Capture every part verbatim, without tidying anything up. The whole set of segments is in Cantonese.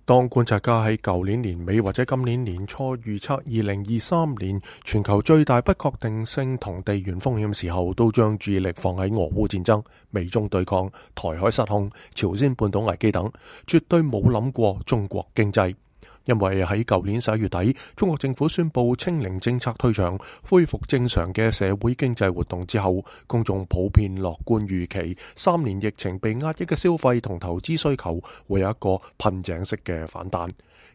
當觀察家喺舊年年尾或者今年年初預測二零二三年全球最大不確定性同地緣風險時候，都將注意力放喺俄烏戰爭、美中對抗、台海失控、朝鮮半島危機等，絕對冇諗過中國經濟。因為喺舊年十一月底，中國政府宣布清零政策退場，恢復正常嘅社會經濟活動之後，公眾普遍樂觀預期，三年疫情被壓抑嘅消費同投資需求會有一個噴井式嘅反彈。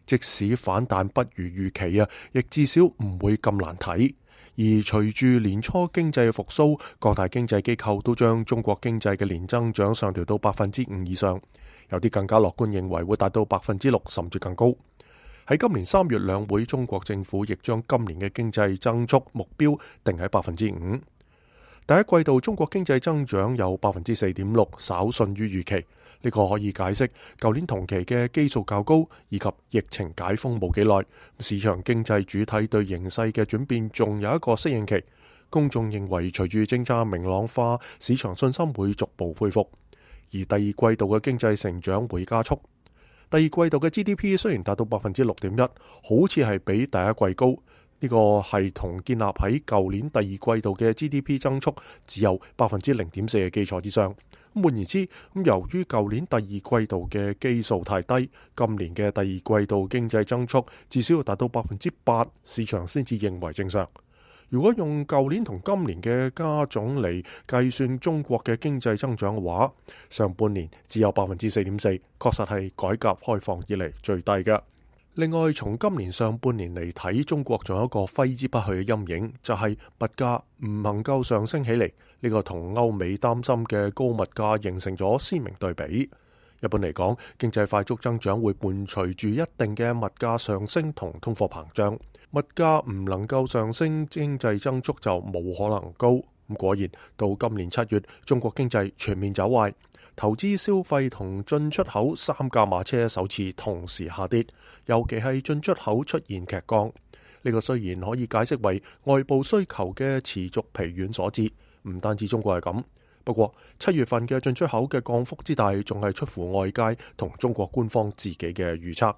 即使反彈不如預期啊，亦至少唔會咁難睇。而隨住年初經濟復甦，各大經濟機構都將中國經濟嘅年增長上調到百分之五以上，有啲更加樂觀認為會達到百分之六甚至更高。喺今年三月兩會，中國政府亦將今年嘅經濟增速目標定喺百分之五。第一季度中國經濟增長有百分之四點六，稍遜於預期。呢個可以解釋舊年同期嘅基數較高，以及疫情解封冇幾耐，市場經濟主體對形勢嘅轉變仲有一個適應期。公眾認為隨住政策明朗化，市場信心會逐步恢復，而第二季度嘅經濟成長會加速。第二季度嘅 G D P 雖然達到百分之六點一，好似係比第一季高，呢個係同建立喺舊年第二季度嘅 G D P 增速只有百分之零點四嘅基礎之上。咁換言之，咁由於舊年第二季度嘅基數太低，今年嘅第二季度經濟增速至少要達到百分之八，市場先至認為正常。如果用舊年同今年嘅加總嚟計算中國嘅經濟增長嘅話，上半年只有百分之四點四，確實係改革開放以嚟最低嘅。另外，從今年上半年嚟睇，中國仲有一個揮之不去嘅陰影，就係物價唔能夠上升起嚟。呢個同歐美擔心嘅高物價形成咗鮮明對比。一般嚟講，經濟快速增長會伴隨住一定嘅物價上升同通貨膨脹。物價唔能夠上升，經濟增速就冇可能高。咁果然，到今年七月，中國經濟全面走壞，投資、消費同進出口三駕馬車首次同時下跌，尤其係進出口出現劇降。呢個雖然可以解釋為外部需求嘅持續疲軟所致，唔單止中國係咁。不過七月份嘅進出口嘅降幅之大，仲係出乎外界同中國官方自己嘅預測。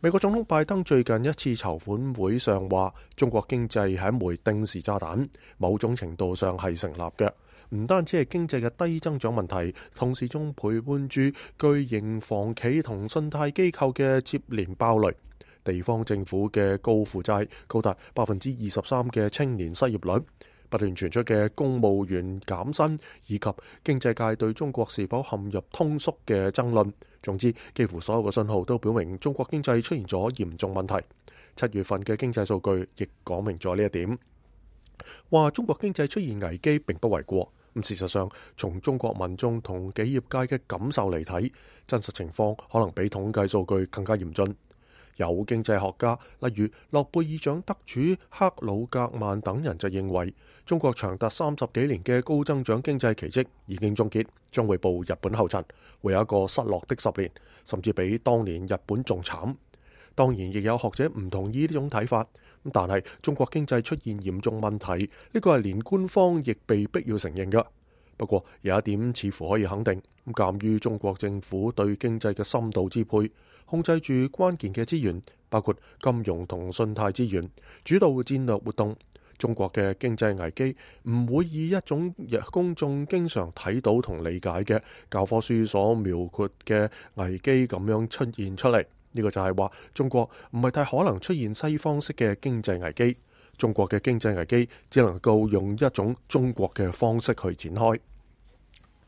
美國總統拜登最近一次籌款會上話，中國經濟係一枚定時炸彈，某種程度上係成立嘅。唔單止係經濟嘅低增長問題，同時仲陪伴住巨型房企同信貸機構嘅接連爆雷，地方政府嘅高負債，高達百分之二十三嘅青年失業率，不斷傳出嘅公務員減薪，以及經濟界對中國是否陷入通縮嘅爭論。總之，幾乎所有嘅信號都表明中國經濟出現咗嚴重問題。七月份嘅經濟數據亦講明咗呢一點，話中國經濟出現危機並不為過。咁事實上，從中國民眾同企業界嘅感受嚟睇，真實情況可能比統計數據更加嚴峻。有經濟學家，例如諾貝爾獎得主克魯格曼等人就認為，中國長達三十幾年嘅高增長經濟奇蹟已經終結，將會步日本後塵，會有一個失落的十年，甚至比當年日本仲慘。當然，亦有學者唔同意呢種睇法，但係中國經濟出現嚴重問題，呢個係連官方亦被逼要承認嘅。不過有一點似乎可以肯定，咁鑑於中國政府對經濟嘅深度支配，控制住關鍵嘅資源，包括金融同信貸資源，主導戰略活動，中國嘅經濟危機唔會以一種公眾經常睇到同理解嘅教科書所描繪嘅危機咁樣出現出嚟。呢個就係話，中國唔係太可能出現西方式嘅經濟危機，中國嘅經濟危機只能夠用一種中國嘅方式去展開。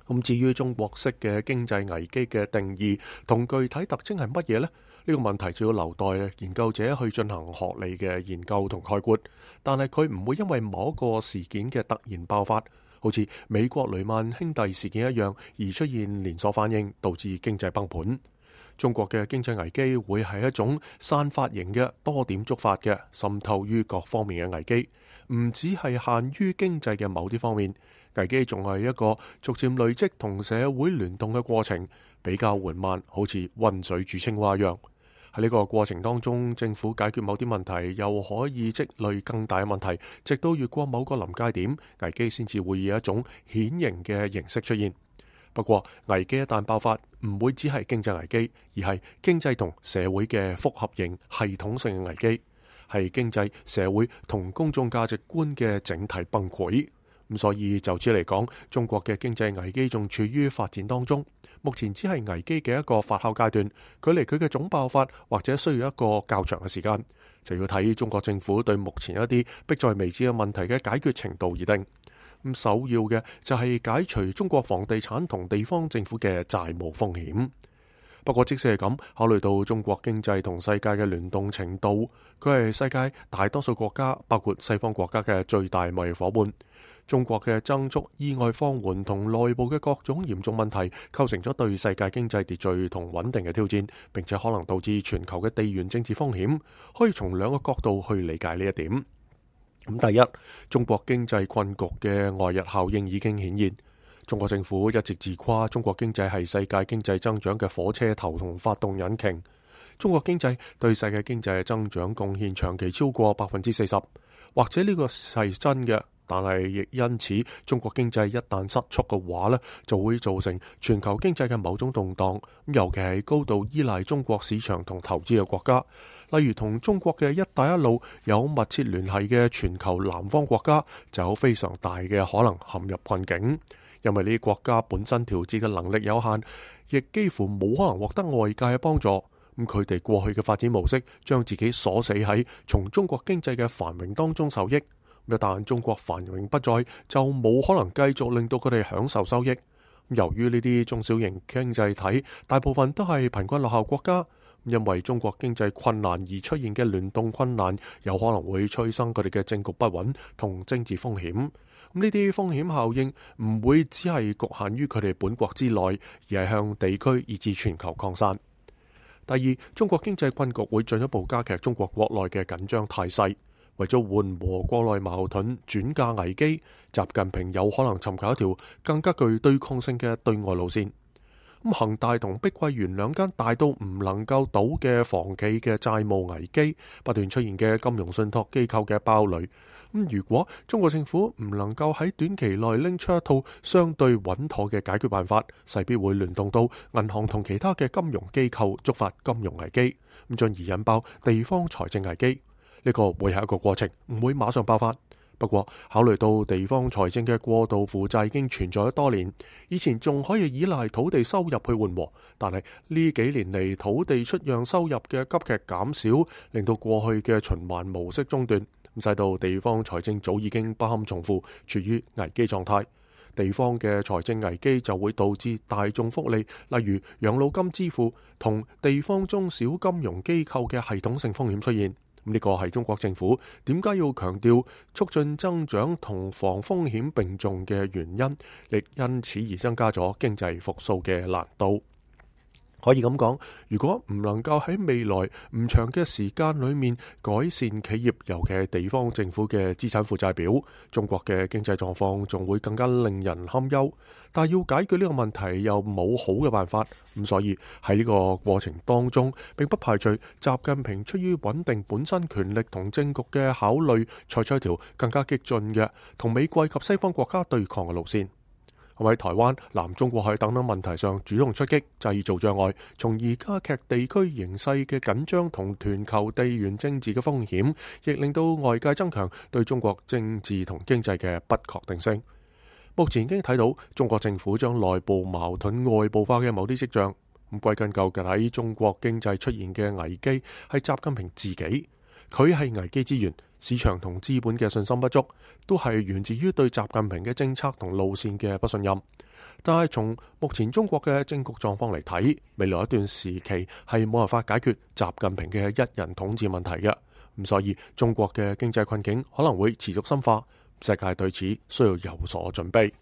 咁至於中國式嘅經濟危機嘅定義同具體特徵係乜嘢呢？呢個問題就要留待研究者去進行學理嘅研究同概括。但係佢唔會因為某一個事件嘅突然爆發，好似美國雷曼兄弟事件一樣，而出現連鎖反應，導致經濟崩盤。中國嘅經濟危機會係一種散發型嘅、多點觸發嘅、滲透於各方面嘅危機，唔只係限於經濟嘅某啲方面。危機仲係一個逐漸累積同社會聯動嘅過程，比較緩慢，好似溫水煮青蛙一樣。喺呢個過程當中，政府解決某啲問題，又可以積累更大嘅問題，直到越過某個臨界點，危機先至會以一種顯形嘅形式出現。不過危機一旦爆發，唔會只係經濟危機，而係經濟同社會嘅複合型系統性嘅危機，係經濟、社會同公眾價值觀嘅整體崩潰。咁所以就此嚟講，中國嘅經濟危機仲處於發展當中，目前只係危機嘅一個發酵階段，距離佢嘅總爆發或者需要一個較長嘅時間，就要睇中國政府對目前一啲迫在眉睫嘅問題嘅解決程度而定。咁首要嘅就係解除中國房地產同地方政府嘅債務風險。不過即使係咁，考慮到中國經濟同世界嘅聯動程度，佢係世界大多數國家，包括西方國家嘅最大貿易夥伴。中國嘅增速意外放緩同內部嘅各種嚴重問題，構成咗對世界經濟秩序同穩定嘅挑戰，並且可能導致全球嘅地緣政治風險。可以從兩個角度去理解呢一點。咁第一，中國經濟困局嘅外溢效應已經顯現。中國政府一直自誇中國經濟係世界經濟增長嘅火車頭同發動引擎。中國經濟對世界經濟嘅增長貢獻長期超過百分之四十，或者呢個係真嘅，但係亦因此，中國經濟一旦失速嘅話呢，就會造成全球經濟嘅某種動盪。尤其係高度依賴中國市場同投資嘅國家，例如同中國嘅一帶一路有密切聯繫嘅全球南方國家，就有非常大嘅可能陷入困境。因為呢啲國家本身調節嘅能力有限，亦幾乎冇可能獲得外界嘅幫助。咁佢哋過去嘅發展模式，將自己鎖死喺從中國經濟嘅繁榮當中受益。一旦中國繁榮不再，就冇可能繼續令到佢哋享受收益。由於呢啲中小型經濟體大部分都係貧困落後國家，因為中國經濟困難而出現嘅聯動困難，有可能會催生佢哋嘅政局不穩同政治風險。呢啲風險效應唔會只係局限於佢哋本國之內，而係向地區以至全球擴散。第二，中國經濟困局會進一步加劇中國國內嘅緊張態勢。為咗緩和國內矛盾、轉嫁危機，習近平有可能尋求一條更加具對抗性嘅對外路線。咁恒大同碧桂園兩間大到唔能夠倒嘅房企嘅債務危機，不斷出現嘅金融信託機構嘅爆雷。咁如果中國政府唔能夠喺短期內拎出一套相對穩妥嘅解決辦法，勢必會聯動到銀行同其他嘅金融機構，觸發金融危機，咁進而引爆地方財政危機。呢個會係一個過程，唔會馬上爆發。不過考慮到地方財政嘅過度負債已經存在咗多年，以前仲可以依賴土地收入去緩和，但係呢幾年嚟土地出讓收入嘅急劇減少，令到過去嘅循環模式中斷，咁使到地方財政早已經不堪重負，處於危機狀態。地方嘅財政危機就會導致大眾福利，例如養老金支付同地方中小金融機構嘅系統性風險出現。呢個係中國政府點解要強調促進增長同防風險並重嘅原因，亦因此而增加咗經濟復甦嘅難度。可以咁講，如果唔能夠喺未來唔長嘅時間裏面改善企業，尤其係地方政府嘅資產負債表，中國嘅經濟狀況仲會更加令人堪憂。但係要解決呢個問題又冇好嘅辦法，咁所以喺呢個過程當中，並不排除習近平出於穩定本身權力同政局嘅考慮，採取一條更加激進嘅同美國及西方國家對抗嘅路線。喺台灣、南中國海等等問題上主動出擊，製造障礙，從而加劇地區形勢嘅緊張同全球地緣政治嘅風險，亦令到外界增強對中國政治同經濟嘅不確定性。目前已經睇到中國政府將內部矛盾外部化嘅某啲跡象。咁歸根究底，喺中國經濟出現嘅危機係習近平自己，佢係危機之源。市場同資本嘅信心不足，都係源自於對習近平嘅政策同路線嘅不信任。但係從目前中國嘅政局狀況嚟睇，未來一段時期係冇辦法解決習近平嘅一人統治問題嘅。咁所以中國嘅經濟困境可能會持續深化，世界對此需要有所準備。